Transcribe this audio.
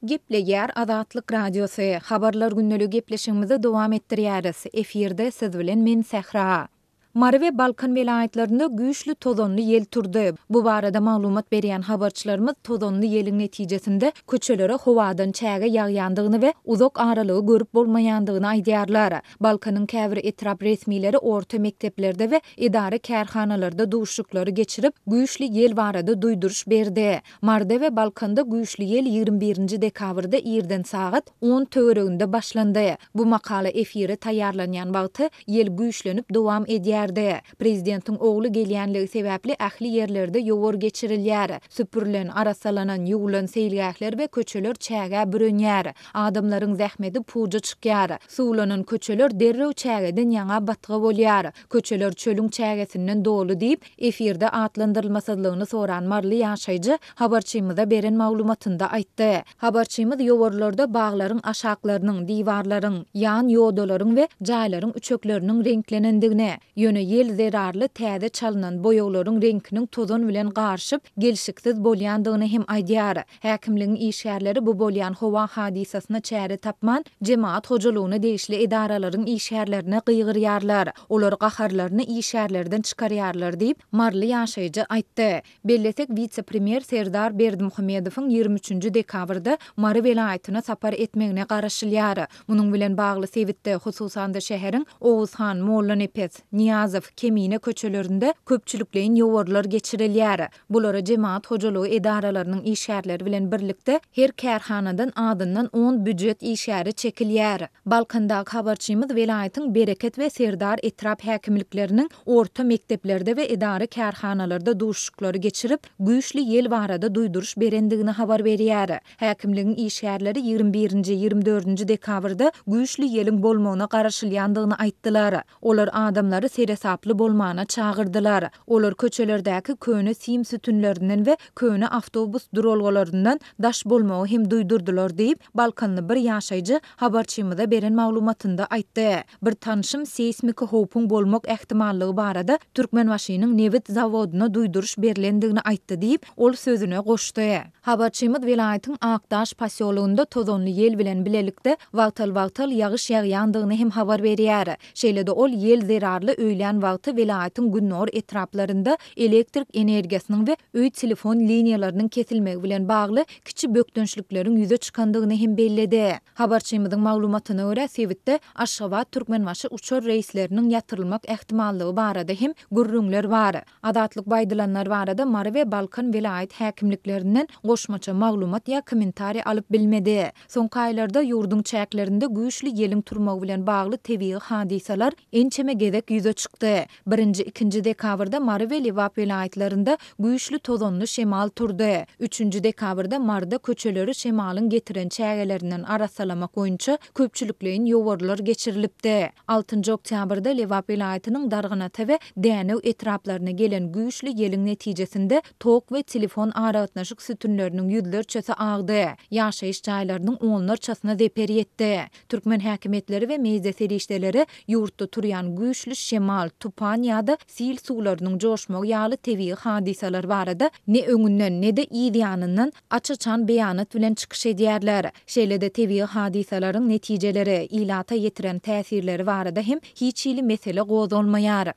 Gepleýär Azatlyk Radiosy, Habarlar gündeligi gepleşigimizi dowam etdirýäris. Efirde siz bilen men Sähra. Mary we Balkan welaýatlarynda güýçli tozanly ýel turdy. Bu barada maglumat berýän habarçylarymyz tozanly ýeliň netijesinde köçelere howadan çäge ýagýandygyny we uzak aralygy görüp bolmaýandygyny aýdýarlar. Balkanyň käbir etrap resmileri orta mekdeplerde we edara-kärhanalarda duşuşyklary geçirip, güýçli ýel barada duýduryş berdi. Maryda we Balkanda güýçli ýel 21 nji dekabrda irden sagat on töwereginde başlandy. Bu makala efire taýýarlanýan wagty ýel güýçlenip dowam edýärdi. Prezidentiň ogly gelýänligi sebäpli ähli ýerlerde ýowar geçirilýär. Süpürilen, arassalanan, ýuwulan seýilgähler we köçeler çägä bürenýär. Adamlaryň zähmeti puja çykýar. Suwlanan köçeler derrew çägeden ýaňa batga bolýar. Köçeler çölüň çägesinden doly diýip, efirde atlandyrylmasyzlygyny soran maryly ýaşaýjy habarçymyza beren maglumatynda aýtdy. Habarçymyz ýowarlarda baglaryň aşaklarynyň, diwarlaryň, ýan ýodalaryň we jaýlaryň üçekleriniň reňklenendigini, ýöne ýel zerarly täze çalynan boýaglaryň reňkiniň tozan bilen garyşyp, gelşiksiz bolýandygyny hem aýdýar. Häkimligiň işgärleri bu bolýan howa hadysasyna çäre tapman, jemagat hojalygyna degişli edaralaryň işgärlerine gygyrýarlar. Olar gaharlaryny işgärlerden çykarýarlar diýip, maryly ýaşaýjy aýtdy. Bellesek, wise-premýer Serdar Berdimuhamedowyň 23 nji dekabrda Mary welaýatyna sapar etmegine garaşylýar. Munuň bilen bagly sebitde, hususan-da şäheriň Oguzhan, Mollanepes, Nyýazow, Kemine köçelerinde köpçülikleýin ýowarlar geçirilýär. Bulara jemagat hojalygy edaralarynyň işgärleri bilen birlikde her kärhanadan azyndan on býujet işgäri çekilýär. Balkandaky habarçymyz welaýatyň Bereket we Serdar etrap häkimlikleriniň orta mekdeplerde we edara-kärhanalarda duşuşyklary geçirip, güýçli ýel barada duýduryş berendigini habar berýär. Häkimligiň işgärleri 21-nji, 24-nji dekabrda güýçli ýeliň bolmagyna garaşylýandygyny aýtdylar. Olar adamlary seresaply bolmana çagyrdylar. Olar köçelerdäki köne sim sütünlerinden we köne awtobus duralgalaryndan daş bolmagy hem duýdurdylar diýip, balkanly bir ýaşaýjy habarçymyza beren maglumatynda aýtdy. Bir tanşym seýsmiki howpuň bolmak ähtimallygy barada Türkmenbaşynyň nebit zawodyna duýduryş berlendigini aýtdy diýip, ol sözüne goşdy. Habarçymyz welaýatyň Akdaş posýologynda tozanly ýel bilen bilelikde wagtal-wagtal ýagyş ýagýandygyny hem habar berýär. Şeýle-de ol ýel zerarly öýlän wagty welaýatyň gündogar etraplarynda elektrik energiýasynyň we öý telefon liniýalarynyň kesilmegi bilen bagly kiçi bökdençlikleriň ýüze çykandygyny hem belledi. Habarçymyzyň maglumatyna görä, sebitde Aşgabat-Türkmenbaşy uçar reýsleriniň ýatyrylmak ähtimallygy barada hem gürrüňler bar. Azatlyk bu aýdylanlar barada Mary we Balkan welaýat häkimliklerinden goşmaça maglumat ýa kommentariý alyp bilmedi. Soňky aýlarda ýurduň çäklerinde güýçli ýeliň turmagy bilen bagly tebigy hadysalar ençeme gezek ýüze çykdy. Birinji, ikinji dekabrda Mary we Lebap welaýatlarynda güýçli tozanly şemal turdy. Üçünji dekabrda Maryda köçeleri şemalyň getiren çägelerinden arassalamak boýunça köpçülikleýin ýowarlar geçirilipdi. Altynjy oktýabrda Lebap welaýatynyň Darganata we Dänew etraplaryna gelen güýçli ýeliň netijesinde tok we telefon aragatnaşyk sütünleriniň ýüzlerçesi agdy, ýaşaýyş jaýlarynyň onlarçasyna zeper ýetdi. Türkmen häkimiýetleri we media serişdeleri ýurtda turýan güýçli şemal, tupan ýa-da sil suwlarynyň joşmagy ýaly tebigy hadysalar barada ne öňünden, ne-de yz ýanyndan aç-açan beýanat bilen çykyş edýärler. Şeýle-de tebigy hadysalaryň netijeleri, ilata ýetiren täsirleri barada hem hiç hili mesele gozgalmaýar.